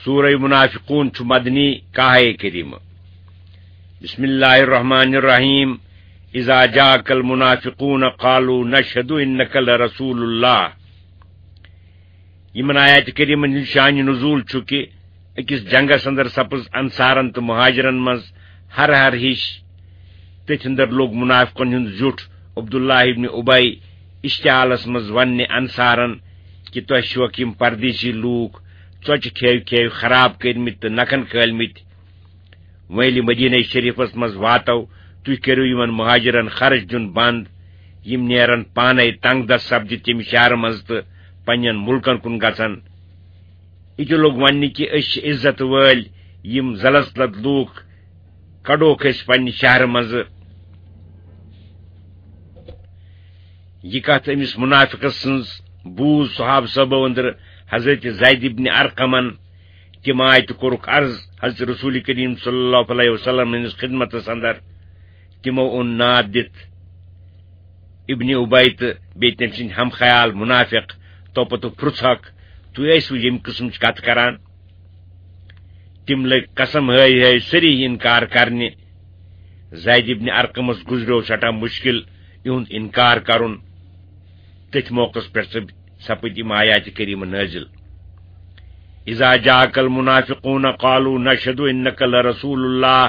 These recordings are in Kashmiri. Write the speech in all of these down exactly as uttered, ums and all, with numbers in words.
سورہ منافقون چھُ مدنی، کاہے کریمہ۔ بسم اللہ الرحمن الرحیم۔ اذا جاءک المنافقون قالوا نشهد انک لرسول اللہ۔ یِمن آیات کریمن ہُنٛد شان نزول چھُ کہِ أکِس جنگس اندر سپٕز انصارن تہٕ مہاجرن منٛز ہر ہر ہِش۔ تٔتھۍ اندر لوٚگ منافقن ہُنٛد زیُٹھ عبداللہ ابن ابی اشتعالس منٛز وننہِ انصارن کہِ تۄہہِ چھِوکھ یِم پردیسی لوٗکھ ژۄچہِ کھیو کھیو خراب کٔرمٕتۍ تہٕ نکھن کھٲلمٕتۍ۔ وۄنۍ ییٚلہِ مدینہ شریفس منٛز واتو، تُہۍ کٔرِو یِمن مہاجرن خرچ دیُن بند۔ یِم نیرن پانے تنگ دست سپدِتھ تمہِ شہرٕ منٛز تہٕ پننٮ۪ن مُلکن کُن گژھن۔ یہِ تہِ لوٚگ وننہِ کہِ أسۍ چھِ عزت وٲلۍ، یِم ذلت لد لوٗکھ کڑوکھ أسۍ پننہِ شہرٕ منٛزٕ۔ یہِ کتھ أمِس منافقس سٕنٛز بوٗز صحابہٕ صٲبو أنٛدرٕ حضرت زید ابن ارقمن۔ تِم آے تہٕ کوٚرُکھ عرض حضرت رسول کریم صلی اللہ علیہ وسلم ہٕنٛدِس خدمتس اندر۔ تِمو اوٚن ناد دِتھ ابن ابی تہٕ بیٚیہِ تٔمۍ سٕنٛدۍ ہم خیال منافق۔ تو پتہٕ پرٛژھکھ، "تُہۍ ٲسوٕ ییٚمہِ قٕسمٕچ کتھ کران؟" تِم لٔگۍ قسم ہٲوۍ ہٲوۍ سٲری انکار کرنہِ۔ زید ابن ارقمس گُزریو سٮ۪ٹھاہ مُشکِل یِہُنٛد انکار کرُن۔ تٔتھۍ موقعس پٮ۪ٹھ سپ-، سپٕدۍ یِم آیاتِ کریمہٕ نٲزِل۔ "اذا جاءک المنافقون قالوا نشهد انک لرسول اللہ"،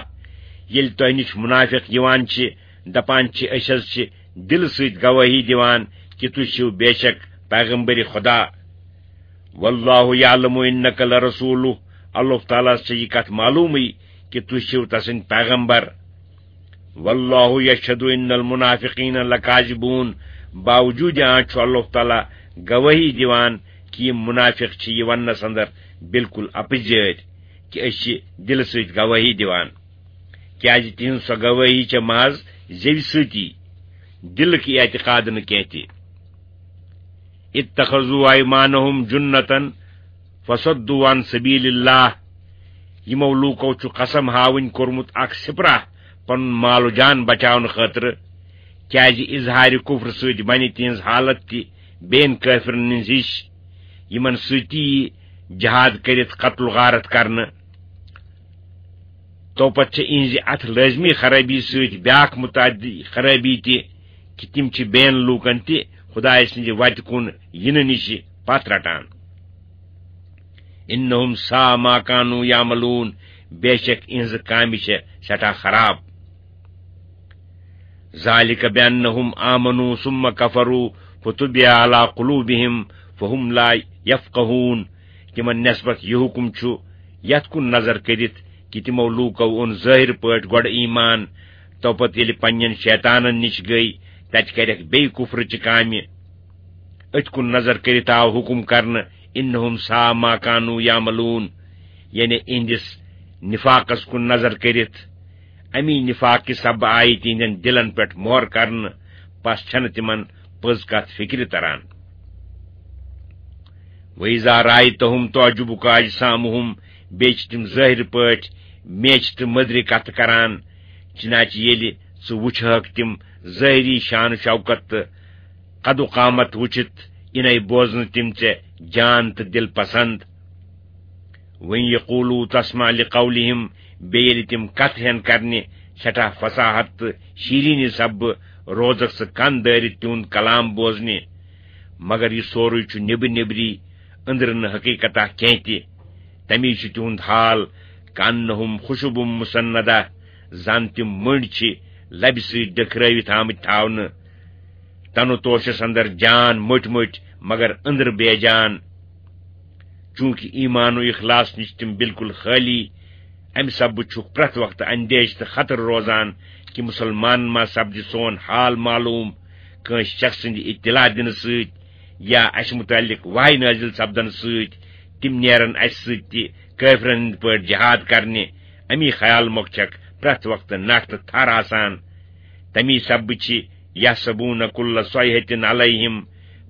ییٚلہِ تۄہہِ نِش منافق یِوان چھِ، دپان چھِ، "أسۍ حظ چھِ دِلہٕ سۭتۍ گوٲہی دِوان کہِ تُہۍ چھِو بے شک پیغمبر خدا"۔ "واللہ یعلم انک لرسولہ"، اللہ تعالیٰ ہس چھِ یہِ کتھ معلومٕے کہِ تُہۍ چھِو تسٕنٛدۍ پیغمبر۔ "واللہ یشہد ان المنافقین لکاذبون"، باوجود آنچ چھُ اللہ تعالیٰ گوٲہی دِوان کہِ یِم منافق چھِ یہِ وننس اندر بالکل اپزیٲرۍ کہِ أسۍ چھِ دِلہٕ سۭتۍ گوٲہی دِوان، کیازِ تِہنٛز سۄ گوٲہی چھےٚ محض زیوِ سۭتی، دِلٕکۍ اعتقاد نہٕ کینٛہہ تہِ۔ "اتخذوا ایمانہم جنتاً فصدوا عن سبیل اللہ"، یِمو لوٗکو چھُ قسم ہاوٕنۍ کوٚرمُت اکھ سپرہ پنُن مال و جان بچاونہٕ خٲطرٕ، کیازِ اظہارِ کفر سۭتۍ بنہِ تِہنٛز حالت تہِ بین کٲفرن ہٕنٛز ہِش، یِمن سۭتی یی جہاد کٔرِتھ قتل و غارت کرنہٕ۔ توپتہٕ چھِ اِہنٛزِ اتھ لٲزمی خرٲبی سۭتۍ بیاکھ متعدی خرٲبی تہِ کہِ تِم چھِ بین لوٗکن تہِ خدایہِ سٕنٛزِ وتہِ کُن یِنہٕ نِش پتھ رٹان۔ "انہم ساء ما کانوا یعملون"، بے شک اِہنٛزٕ کامہِ چھےٚ سٮ۪ٹھاہ خراب۔ "ذالک بانہم آمنوا ثم کفروا فطبع علی قلوبہم فہم لا یفقہون"، تِمن نسبت یہِ حکم چھُ یتھ کُن نظر کٔرِتھ کہِ تِمو لوٗکو اوٚن ظٲہِر پٲٹھۍ گۄڈٕ ایمان، توپتہٕ ییٚلہِ پننٮ۪ن شیطانن نِش گٔے، تتہِ کرٮ۪کھ بیٚیہِ کفرٕچہِ کامہِ۔ أتھۍ کُن نظر کٔرِتھ آو حکم کرنہٕ، "انہم ساء ما کانوا یعملون"، یعنی اِہنٛدِس نفاقس کُن نظر کٔرِتھ۔ امی نفاق کہِ سببہٕ آیہِ تِہنٛدٮ۪ن دِلن پٮ۪ٹھ مۄہر کرنہٕ، پس چھنہٕ تِمن پٔز کتھ فکرِ تران۔ "وَإِذَا رَأَيْتَهُمْ تُعْجِبُكَ أَجْسَامُهُمْ"، بیٚیہِ چھِ تِم ظٲہِر پٲٹھۍ میچھِ تہٕ مٔدرِ کتھٕ کران۔ چنانچہ ییٚلہِ ژٕ وٕچھہکھ تِم ظٲہری شان و شوکت تہٕ قد و قامت وٕچھِتھ، یِنَے بوزنہٕ تِم ژےٚ جان تہٕ دِل پسند۔ "وَإِنْ يَقُولُوا تَسْمَعْ لِقَوْلِهِمْ"، بیٚیہِ ییٚلہِ تِم کتھ ہٮ۪ن کرنہِ سٮ۪ٹھاہ فصاحت تہٕ شیرینی سببہٕ، روزکھ ژٕ کن دٲرِتھ تِہُنٛد کلام بوزنہِ۔ مگر یہِ سورُے چھُ نیبر نیبری، أنٛدرٕ نہٕ حقیقتہ کینٛہہ تہِ۔ تمی چھُ تِہُنٛد حال، "کأنہم خشب مسندہ"، زن تِم مٔنٛڈۍ چھِ لبہِ سۭتۍ ڈٔکھرٲوِتھ آمٕتۍ تھاونہٕ۔ تنہٕ توشس اندر جان مٔٹۍ مٔٹۍ، مگر أنٛدرٕ بے جان۔ چونکہ ایمان و اخلاص نِش تِم بالکل خٲلی، امہِ سببہٕ چھُکھ پرٛٮ۪تھ وقتہٕ اندیشہِ تہٕ خطرٕ روزان کہِ مسلمانن ما سپدِ سون حال معلوم کٲنٛسہِ شخص سٕنٛدِ اطلاع دِنہٕ سۭتۍ یا اسہِ متعلق وحی نٲزِل سپدنہٕ سۭتۍ۔ تِم نیرن اسہِ سۭتۍ تہِ کٲفرن ہٕنٛدۍ پٲٹھۍ جہاد کرنہِ۔ امی خیال مۄکھ چھکھ پرٛٮ۪تھ وقتہٕ نٹھ تہٕ تھر آسان۔ تمی سببہٕ چھِ "یحسبون کل صیحة علیہم"،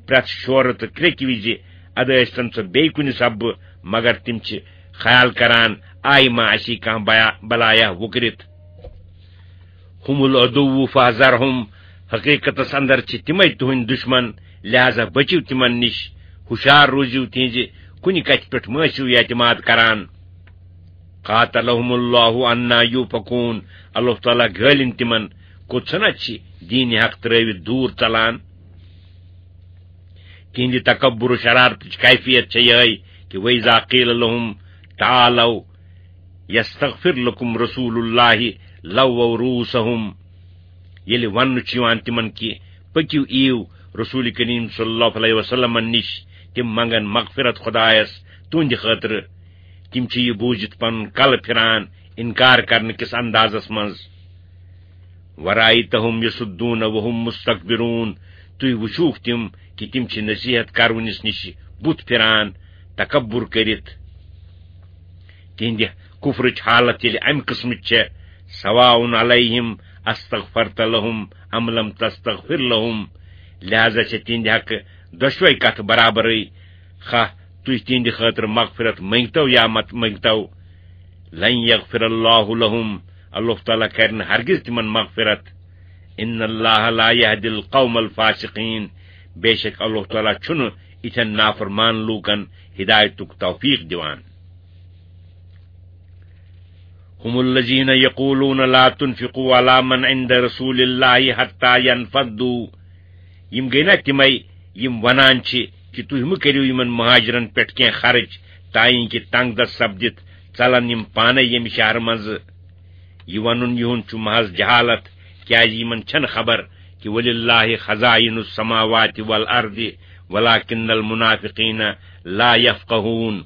پرٛٮ۪تھ شورٕ تہٕ کرٛیٚکہِ وِزِ، ادٕ ٲسۍتن سۄ بیٚیہِ کُنہِ سببہٕ، مگر تِم چھِ خیال کران، آیہِ ما اسی کانٛہہ بیا-، بلایہ وُکرِتھ۔ "ہم العدو فاحذرہم"، حقیقتس اندر چھِ تِمے تُہنٛدۍ دشمن، لہذا بٔچِو تِمن نِش، ہُشار روٗزِو، تِہنٛزِ کُنہِ کتھِ پٮ۪ٹھ مہ ٲسِو اعتماد کران۔ قاتلهم اللہ انا یوفکون، اللہ تعالیٰ گٲلِن تِمن، کوٚت چھُنہ چھِ دیٖنِ حق ترٲوِتھ دوٗر ژلان۔ تِہنٛدِ تکبر و شرارتٕچ کیفیت چھےٚ یِہے کہِ وَإِذَا قِيلَ لَهُمْ تَعَالَوْا يَسْتَغْفِرْ لَكُمْ رَسُولُ اللَّهِ لَوَّوْا رُءُوسَهُمْ، ییٚلہِ وننہٕ چھُ یِوان تِمن کہِ پٔکِو، یِیِو رسول کریم صلی اللہ علیہ وسلمن نِش، تِم منگن مغفرت خدایس تُہنٛدِ خٲطرٕ، تِم چھِ یہِ بوٗزِتھ پنُن کلہٕ پھِران انکار کرنہٕ کِس اندازس منٛز۔ وَرَأَيْتَهُمْ يَصُدُّونَ وَهُمْ مُسْتَكْبِرُونَ، تُہۍ وٕچھوُکھ تِم کہِ تِم چھِ نصیحت کرونِس نِش بُتھ پھِران، تکبر کٔرِتھ۔ تِہنٛدِ کفرٕچ حالت ییٚلہِ امہِ قٕسمٕچ چھےٚ، سواء علیہم استغفرت لہم ام لم تستغفر لہم، لہذا چھےٚ تِہنٛدِ حقہٕ دۄشوے کتھٕ برابرٕے، خواہ تُہۍ تِہنٛدِ خٲطرٕ مغفرت مٔنگتو یا مت مٔنگتو۔ لن یغفر اللہ لہم، اللہ تعالیٰ کرِ نہٕ ہرگز تِمن مغفرت۔ ان اللہ لا یہدی القوم الفاسقین، بے شک اللہ تعالیٰ چھُنہٕ یِتھٮ۪ن نافرمان لوٗکن ہدایتُک توفیق دِوان۔ هم الذين يقولون لا تنفقوا على من عند رسول الله حتى ينفضوا۔ یِم گٔے نا تِمے یِم ونان چھِ کہِ تُہۍ مہٕ کٔرِو یِمن مہاجرن پٮ۪ٹھ کینٛہہ خرٕچ، تاں کہِ تنگ دست سپدِتھ ژلن یِم پانے ییٚمہِ شہرٕ منٛزٕ۔ یہِ ونُن یِہُنٛد چھُ محض جہالت، کیازِ یِمن چھنہٕ خبر کہِ وللہ خزائن السماوات والارض ولكن المنافقين لا يفقهون۔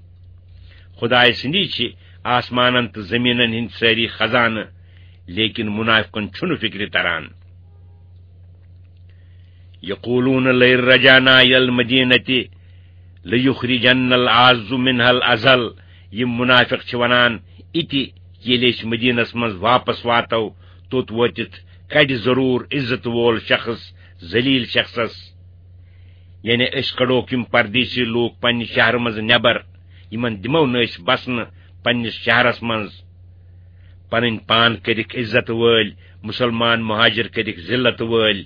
خدایہِ سٕنٛدی چھِ آسمانن تہٕ زٔمیٖنن ہٕنٛدۍ سٲری خزانہٕ، لیکن منافقن چھُنہٕ فکرِ تران۔ یقولون لئن رجعنا إلى المدينة ليخرجن الأعز منها الأذل، یِم منافق چھِ ونان، اِتہِ ییٚلہِ أسۍ مدینس منٛز واپس واتو، توٚت وٲتِتھ کڑِ ضروٗر عزت وول شخص ذلیل شخصس۔ یعنی أسۍ کڑوکھ یِم پردیسی لوٗکھ پننہِ شہرٕ منٛز نٮ۪بر، یِمن دِمو نہٕ أسۍ بسنہٕ پننِس شہرس منٛز۔ پنٕنۍ پان کٔرِکھ عزت وٲلۍ، مسلمان مہاجر کٔرِکھ ذلت وٲلۍ۔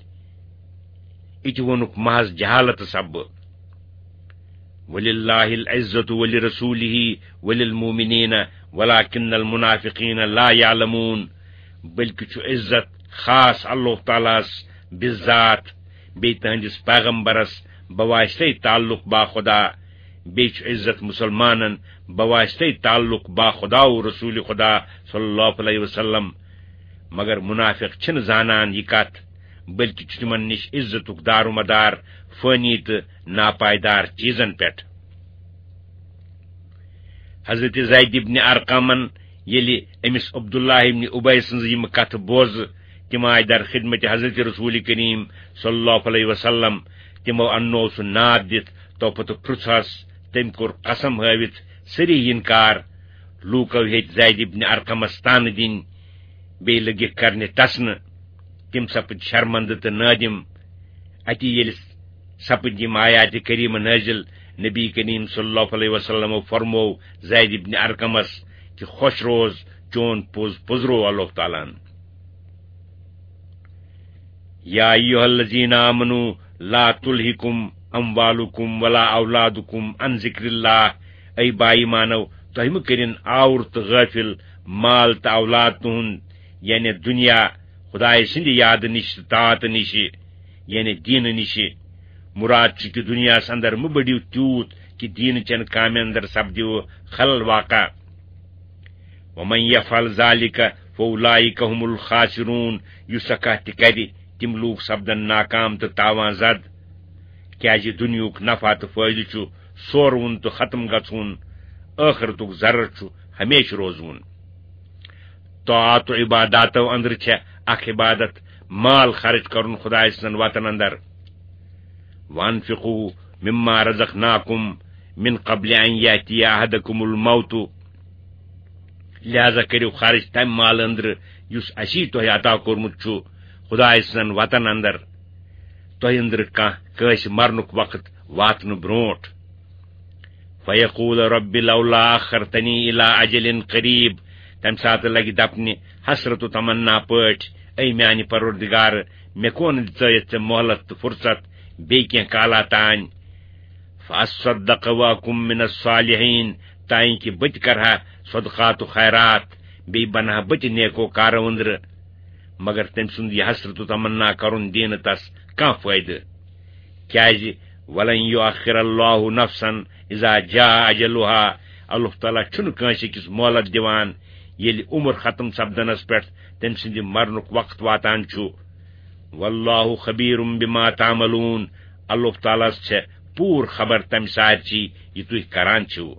یہِ تہِ ووٚنُکھ محض جہالت سببہٕ۔ وللہ العزة ولرسوله وللمؤمنین ولكن المنافقين لا يعلمون، بلکہِ چھُ عزت خاص اللہ تعالیٰ ہس بذات، بیٚیہِ تہنٛدِس پیغمبرس بواسطے تعلق با خدا، بیٚیہِ چھُ عزت مسلمانن بواسطے تعلق با خدا و رسول خدا صلی اللہ علیہ وسلم۔ مگر منافق چھِنہٕ زانان یہِ کتھ، بلکہِ چھُ تِمن نِش عزتُک دارومدار فٲنی تہٕ ناپائیدار چیزن پٮ۪ٹھ۔ حضرت زید ابن ارقمن ییٚلہِ أمِس عبداللہ ابن ابی سٕنٛز یِم کتھٕ بوزٕ، تِم آیہِ در خدمت حضرت رسول کریم صلی اللہ علیہ وسلم۔ تِمو اننوو سُہ ناد دِتھ، تو پتہٕ پرُژھس۔ تٔمۍ کوٚر قسم ہٲوِتھ سریح انکار۔ لوٗکو ہیٚتۍ زید ابن ارقمس طعنہٕ دِنۍ، بیٚیہِ لٔگِکھ کرنہِ ٹسنہٕ۔ تِم سپٕدۍ شرمندٕ تہٕ نٲدِم۔ اتی ییٚلہِ سپٕدۍ یِم آیاتِ کریمہٕ نٲزِل، نبی کریم صلی اللہ علیہ وسلمو فرموو زید ابن ارقمس کہِ خوش روز، چون پوٚز پوٚزروو اللہ تعالیٰ ہن۔ یا ایھا الذین آمنوا لا تلہکم اموالکم ولا اولادکم عن ذکر اللہ، اے با ایمانو، تۄہہِ مہٕ کٔرِن آوُر تہٕ غٲفِل مال تہٕ اولاد تُہُنٛد، یعنی دُنیا، خدایہِ سٕنٛدِ یادٕ نِش تہٕ طاعتہٕ نِش، یعنی دیٖنہٕ نِش۔ مُراد چھُ کہِ دُنیاہَس اندر مہٕ بٔڑِو تیوٗت کہِ دیٖنہٕ چٮ۪ن کامٮ۪ن اندر سپدِو خلل واقع۔ ومن یفعل ذلک فاولئک هم الخاسرون، یُس سۄ کانٛہہ تہِ کرِ، تِم لوٗکھ سپدن ناکام تہٕ تاوان زد، کیازِ دُنیاہُک نفع تہٕ فٲیدٕ چھُ سورٕ وُن تہٕ ختم گژھُن، ٲخرتُک ضرر چھُ ہمیشہٕ روزوُن۔ طاعت و عباداتو اندرٕ چھےٚ اکھ عبادت مال خرچ کرُن خدایہِ سٕنٛزن وتن اندر۔ وانفقوا مما رزقناکم من قبل ان یاتی احدکم الموت، لہذا کٔرِو خرچ تمہِ مال اندرٕ یُس اسی تۄہہِ عطا کوٚرمُت چھُ خدایہِ سٕنٛزن وتن اندر، تۄہہِ اندرٕ کانٛہہ کٲنٛسہِ مرنُک وقت واتنہٕ برونٹھ۔ فیقول رب لولا اخرتنی الی اجل قریب، تمہِ ساتہٕ لگہِ دپنہِ حسرت و تمنا پٲٹھۍ، اے میانہِ پروردگار، مےٚ کون دِژٲیتھ ژےٚ مۄہلت تہٕ فرصت بیٚیہِ کینٛہہ کالا تانۍ؟ فاصدق واکم من الصالحین، تانۍ کہِ بہٕ تہِ کرٕ ہا صدقات و خیرات، بیٚیہِ بنہٕ ہا بہٕ تہِ نیکو کارو أنٛدرٕ۔ مگر تٔمۍ سُنٛد یہِ حسرت و تمنا کرُن دِیہِ نہٕ تس کانٛہہ فٲیدٕ۔ کیازِ؟ ولن یؤخر اللہ نفسا اذا جاء اجلها۔ اللہ تعالیٰ چھُنہٕ کٲنٛسہِ أکِس مۄہلت دِوان، ییٚلہِ عمر ختم سپدنس پٮ۪ٹھ تٔمۍ سٕنٛدِ مرنُک وقت واتان چھُ۔ واللہ خبیر بما تعملون۔ اللہ تعالیٰ ہس چھےٚ پوٗرٕ خبر تمہِ سارچی، یہِ تُہۍ کران چھِو۔